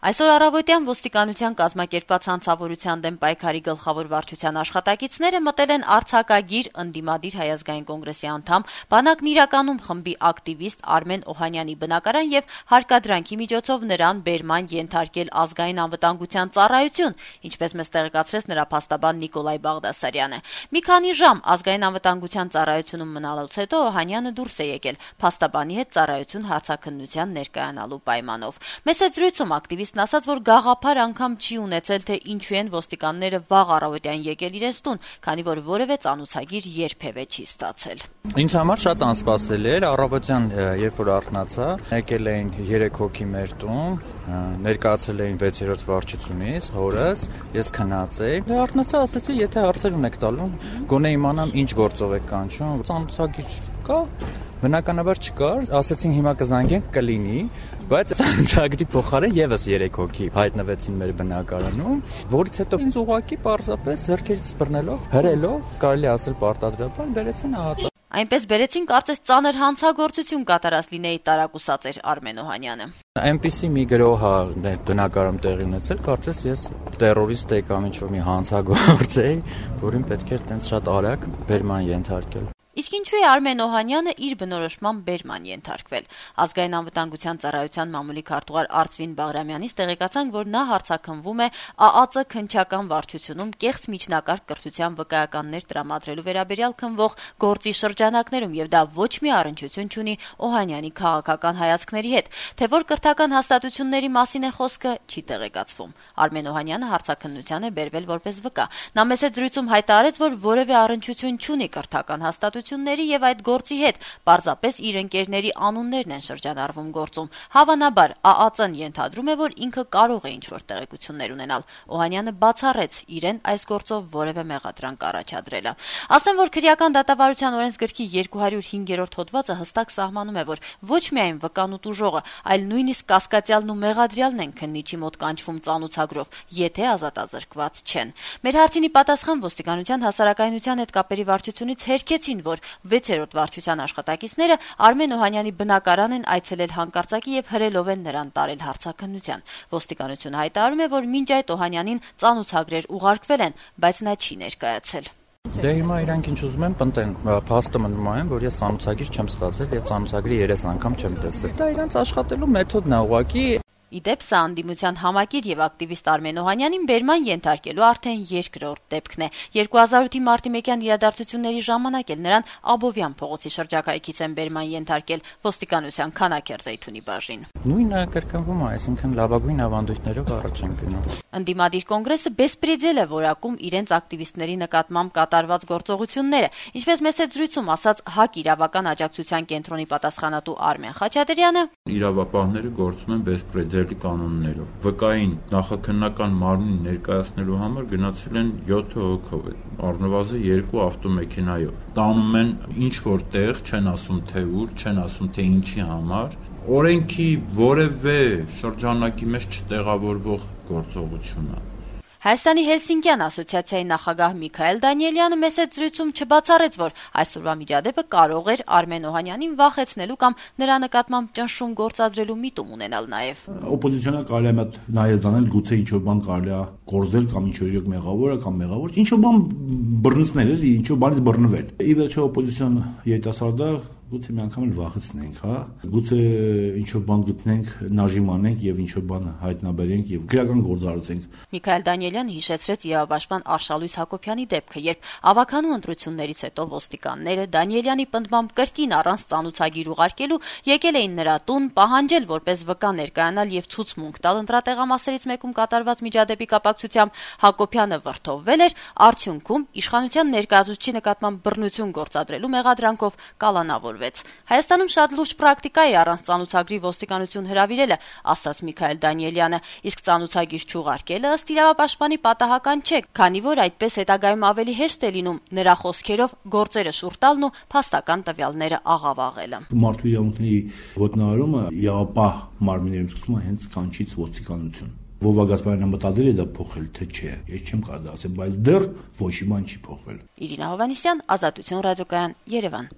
Այսօր առավոտյան ոստիկանության կազմակերպված հանցավորության դեմ պայքարի գլխավոր վարչության աշխատակիցները մտել են արձակագիր ընդդիմադիր Հայ ազգային կոնգրեսի անդամ, բանակն իրականում խմբի ակտիվիստ Արմեն Օհանյանի բնակարան եւ հարկադրանքի միջոցով նրան բերման ենթարկել ազգային անվտանգության ծառայություն, ինչպես մեզ տեղեկացրեց նրա փաստաբան Նիկոլայ Բաղդասարյանը։ Մի քանի ժամ ազգային անվտանգության ծառայությունում մնալուց հետո Օհանյանը դուրս է եկել փաստաբանի հետ ծառայություն հարցաքննության ներկայանալու պայմանով։ Մեծ զրույցում ակտիվիստ ասաց, որ գաղափար անգամ չի ունեցել, թե ինչու են ոստիկանները վաղ առավոտյան եկել իրենց տուն, քանի որ որևէ ծանուցագիր երբևէ չի ստացել։ Ինձ համար շատ անսպասելի էր, առավոտյան երբ որ արթնացա, եկել էին 3 հոգի մեր տուն, ներկայացել էին 6-րդ վարչությունից, հորս, ես քնած էի։ Արթնացա, ասացի, եթե հարցեր ունեք տալու, գոնե իմանամ ինչ գործով եք կանչում, ծանուցագիր կա։ Բնականաբար չկար, ասացին հիմա կզանգենք, կլինի, բայց ծանուցագրի փոխարեն եւս 3 հոգի հայտնվեցին մեր բնակարանում, որից հետո ինձ ուղղակի պարզապես ձեռքերից բռնելով, հրելով, կարելի ասել պարտադրաբար բերեցին ահա։ Այնպես բերեցին, կարծես ծանր հանցագործություն կատարած լինեի տարակուսած էր Արմեն Օհանյանը։ Այնպիսի մի գրոհ բնակարանում տեղի ունեցել, կարծես ես տերորիստ էի կամ ինչ-որ մի հանցագործ էի, որին պետք էր տենց շատ արագ բերման ենթարկել։ Իսկ ինչու է Արմեն Օհանյանը իր բնորոշմամբ բերման ենթարկվել։ Ազգային անվտանգության ծառայության մամուլի քարտուղար Արծվին Բաղրամյանից տեղեկացանք, որ նա հարցաքննվում է ԱԱԾ քննչական վարչությունում կեղծ միջնակարգ կրթության վկայականներ տրամադրելու վերաբերյալ քննվող գործի շրջանակներում, եւ դա ոչ մի առնչություն չունի Օհանյանի քաղաքական հայացքների հետ, թե որ կրթական հաստատությունների մասին է խոսքը, չի տեղեկացվում։ Արմեն Օհանյանը հարցաքննության է բերվել որպես վկա։ Նա մեծ զրույցում հայտարարեց, որ որևէ առնչություն չունի կրթական հաստատությունների եւ այդ գործի հետ, պարզապես իր ընկերների անուններն են շրջանառվում գործում։ Հավանաբար ԱԱԾ-ն ենթադրում է, որ ինքը կարող է ինչ-որ տեղեկություններ ունենալ։ Օհանյանը բացառեց իրեն այս գործով որևէ մեղադրանք առաջադրելը։ Ասեմ, որ քրեական դատավարության օրենսգրքի 205-րդ հոդվածը հստակ սահմանում է, որ ոչ միայն վկան ու տուժողը, այլ նույնիսկ կասկածյալն ու մեղադրյալն են քննիչի մոտ կանչվում ծանուցագրով, եթե ազատազրկված չեն։ Մեր հարցինի պատասխան ոստիկանության հասարակայնության հետ կապերի վարչությունից հերքեցին, որ 6-րդ վարչության աշխատակիցները Արմեն Օհանյանի բնակարան են այցելել հանկարծակի եւ հրելով են նրան տարել հարցաքննության։ Ոստիկանությունը հայտարարում է, որ մինչ այդ Օհանյանին ծանուցագրեր ուղարկվել են, բայց նա չի ներկայացել։ Դե հիմա իրանք ինչ ուզում են պնդեն, փաստը մնում է, որ ես ծանուցագիր չեմ ստացել եւ ծանուցագրի 3 անգամ չեմ տեսել։ Դա իրանք աշխատելու մեթոդն է ուղղակի։ Իդեպ սա անդիմության համակիր եւ ակտիվիստ Արմեն Օհանյանին բերման ենթարկելու արդեն երկրորդ դեպքն է։ 2008-ի մարտի 1-յան իրադարձությունների ժամանակ էլ նրան Աբովյան փողոցի շրջակայքից են բերման ենթարկել ոստիկանության Քանաքեռ Զեյթունի բաժին։ Նույնը կրկնվում է, այսինքն լավագույն ավանդույթներով առաջ են գնում։ Ընդդիմադիր կոնգրեսը բեսպրեդել է որակում իրենց ակտիվիստների նկատմամբ կատարված գործողությունները, ինչպես մեծ զրույցում ասաց ՀԱԿ իրավական աջակցության կենտրոնի պատասխանատու Արմեն Խաչատրյանը։ Իրավապահները գործում են բեսպրեդելի կանոններով։ Վկային նախաքննական մարմնին ներկայացնելու համար գնացել են 7 հոգով, առնվազն 2 ավտոմեքենայով։ Տանում են ինչ որ տեղ, չեն ասում թե ուր, չեն ասում թե ինչի համար։ Օրենքի որևէ շրջանակի մեջ չտեղավորվող գործողություն է։ Հայաստանի Հելսինկյան ասոցիացիայի նախագահ Միքայել Դանիելյանը մեծ զրույցում չբացառեց, որ այսօրվա միջադեպը կարող էր Արմեն Օհանյանին վախեցնելու կամ նրա նկատմամբ ճնշում գործադրելու միտում ունենալ նաև։ Օպոզիցիոնը կարելի է նայես դանել, գուցե ինչ-որ բան կարելի է կորզել կամ ինչ-որ իրոք մեղավոր է կամ մեղավոր, ինչ-որ բան բռնցնել էլի, ինչ-որ բանից բռնվել։ Ի վերջո օպոզիցիոն երիտասարդը գուցե մի անգամ էլ վախեցնենք, հա, գուցե ինչ-որ բան գտնենք, նաժիմ անենք եւ ինչ-որ բան հայտնաբերենք եւ քրեական գործառույթենք։ Միքայել Դանիելյանը հիշեցրեց իրավապաշտպան Արշալույս Հակոբյանի դեպքը, երբ ավականու ընտրություններից հետո ոստիկանները Դանիելյանի պնդմամբ կրկին առանց ծանուցագիր ուղարկելու եկել էին նրա տուն, պահանջել որպես վկա ներկայանալ եւ ցուցմունք տալ ընտրատեղամասերից մեկում կատարված միջադեպի կապակցությամբ։ Հակոբյանը վրթովվել էր, արդյունքում իշխանության ներկայացուցչի նկատմամբ բռնություն գործադրելու մեղադրանքով կալանավոր։ Հայաստանում շատ լուրջ պրակտիկա է առանց ծանուցագրի ոստիկանություն հրավիրելը, ասաց Միքայել Դանիելյանը, իսկ ծանուցագիր չուղարկելը ըստ իրավապաշտպանի պատահական չէ, քանի որ այդպես հետագայում ավելի հեշտ է լինում նրա խոսքերով գործերը շուռ տալն ու փաստական տվյալները աղավաղելը։ Մարդու իրավունքների ոտնահարումը իրավապահ մարմիններում սկսվում է հենց կանչից ոստիկանություն։ Վովա Գասպարյանը մտադիր է դա փոխել, թե չէ, ես չեմ կարող ասել, բայց դեռ ոչ մի բան չի փոխվել։ Իրինա Հովհաննիսյան, Ազատություն ռադիոկայան, Երևան։